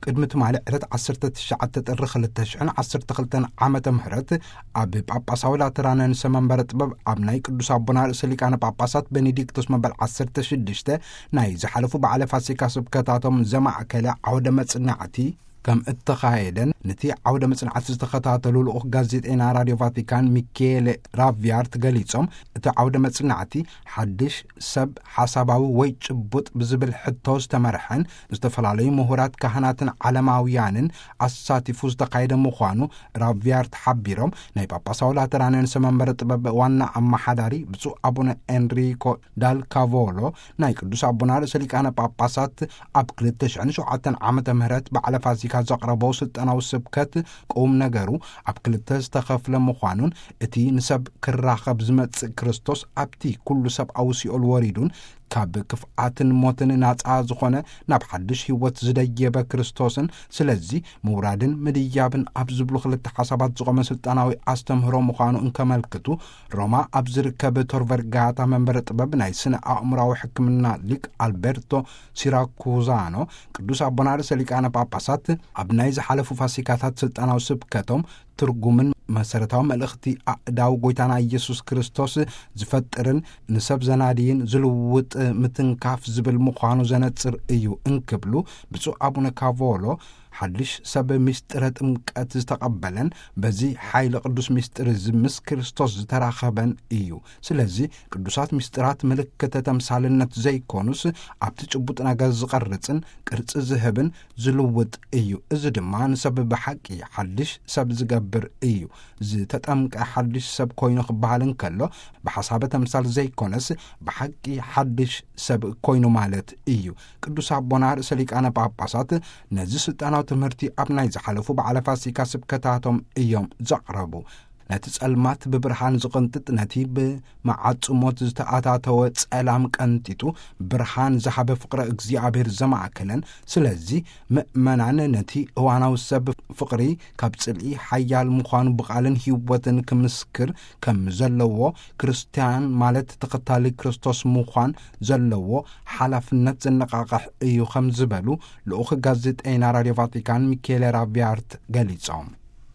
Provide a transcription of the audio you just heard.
ቅድሚ ትማሊ ዕለት ዓሰርተ ትሽዓተ ጥሪ ክልተ ሽሕን ዓሰርተ ክልተን ዓመተ ምህረት ኣብ ጳጳሳዊ ላተራን ንሰ መንበረ ጥበብ ኣብ ናይ ቅዱስ ኣቦና ርእሰ ሊቃነ ጳጳሳት ቤኔዲክቶስ መበል ዓሰርተ ሽዱሽተ ናይ ዝሓለፉ በዓለ ፋሲካ ስብከታቶም ዘማእከለ ዓውደ መጽናዕቲ ከም እተኻየደን፣ ነቲ ዓውደ መጽናዕቲ ዝተኸታተሉ ልኡኽ ጋዜጠይና ራድዮ ቫቲካን ሚኬሌ ራቪያርት ገሊጾም፣ እቲ ዓውደ መጽናዕቲ ሓድሽ ሰብ ሓሳባዊ ወይ ጭቡጥ ብዝብል ሕቶ ዝተመርሐን፣ ዝተፈላለዩ ምሁራት ካህናትን ዓለማውያንን ኣሳቲፉ ዝተኻየደ ምዃኑ ራቪያርት ሓቢሮም፣ ናይ ጳጳሳዊ ላተራን ንሰ መንበረ ጥበብ ዋና ኣመሓዳሪ ብፁዕ ኣቡነ ኤንሪኮ ዳል ካቮሎ፣ ናይ ቅዱስ ኣቦና ርእሰ ሊቃነ ጳጳሳት ኣብ ክልተ ሽሕን ሸውዓተን ዓመተ ምህረት በዓለ ፋሲካ ዘቕረቦ ስልጠናዊ ስብከት ቁም ነገሩ ኣብ ክልተ ዝተኸፍለ ምዃኑን፣ እቲ ንሰብ ክራኸብ ዝመጽእ ክርስቶስ ኣብቲ ኩሉ ሰብኣዊ ሲኦል ወሪዱን ካብ ክፍኣትን ሞትን ናጻ ዝኾነ ናብ ሓድሽ ህይወት ዝደየበ ክርስቶስን፣ ስለዚ ምውራድን ምድያብን ኣብ ዝብሉ ክልተ ሓሳባት ዝቖመ ስልጣናዊ ኣስተምህሮ ምዃኑ እንከመልክቱ፣ ሮማ ኣብ ዝርከብ ቶር ቨርጋታ መንበረ ጥበብ ናይ ስነ ኣእምራዊ ሕክምና ሊቅ ኣልቤርቶ ሲራኩዛኖ፣ ቅዱስ ኣቦና ርእሰ ሊቃነ ጳጳሳት ኣብ ናይ ዝሓለፉ ፋሲካታት ስልጣናዊ ስብከቶም ትርጉምን መሰረታዊ መልእኽቲ ኣእዳው ጎይታና ኢየሱስ ክርስቶስ ዝፈጥርን ንሰብ ዘናድይን ዝልውጥ ምትንካፍ ዝብል ምዃኑ ዘነጽር እዩ እንክብሉ፣ ብፁዕ ኣቡነ ካቮሎ፣ ሓድሽ ሰብ ምስጢረ ጥምቀት ዝተቐበለን በዚ ሓይሊ ቅዱስ ምስጢር እዚ ምስ ክርስቶስ ዝተራኸበን እዩ። ስለዚ ቅዱሳት ምስጢራት ምልክተ ተምሳልነት ዘይኮኑስ፣ ኣብቲ ጭቡጥ ነገር ዝቐርጽን ቅርጺ ዝህብን ዝልውጥ እዩ። እዚ ድማ ንሰብ ብሓቂ ሓድሽ ሰብ ዝገብር እዩ። ዝተጠምቀ ሓድሽ ሰብ ኮይኑ ክበሃል እንከሎ፣ ብሓሳበ ተምሳል ዘይኮነስ፣ ብሓቂ ሓድሽ ሰብ ኮይኑ ማለት እዩ። ቅዱስ ኣቦና ርእሰ ሊቃነ ጳጳሳት ነዚ ስልጣናዊ ትምህርቲ ኣብ ናይ ዝሓለፉ በዓለ ፋሲካ ስብከታቶም እዮም ዘቕረቡ። ነቲ ጸልማት ብብርሃን ዝቕንጥጥ፣ ነቲ ብመዓጽሞት ዝተኣታተወ ጸላም ቀንጢጡ፣ ብርሃን ዝሃበ ፍቕረ እግዚኣብሔር ዘማእከለን። ስለዚ ምእመናን ነቲ እዋናዊ ሰብ ፍቕሪ ካብ ጽልኢ ሓያል ምዃኑ ብቓልን ህይወትን ክምስክር ከም ዘለዎ፣ ክርስትያን ማለት ተኸታሊ ክርስቶስ ምዃን ዘለዎ ሓላፍነት ዘነቓቕሕ እዩ ከም ዝበሉ ልኡኽ ጋዜጠይና ራድዮ ቫቲካን ሚኬሌ ራቪያርት ገሊጾም።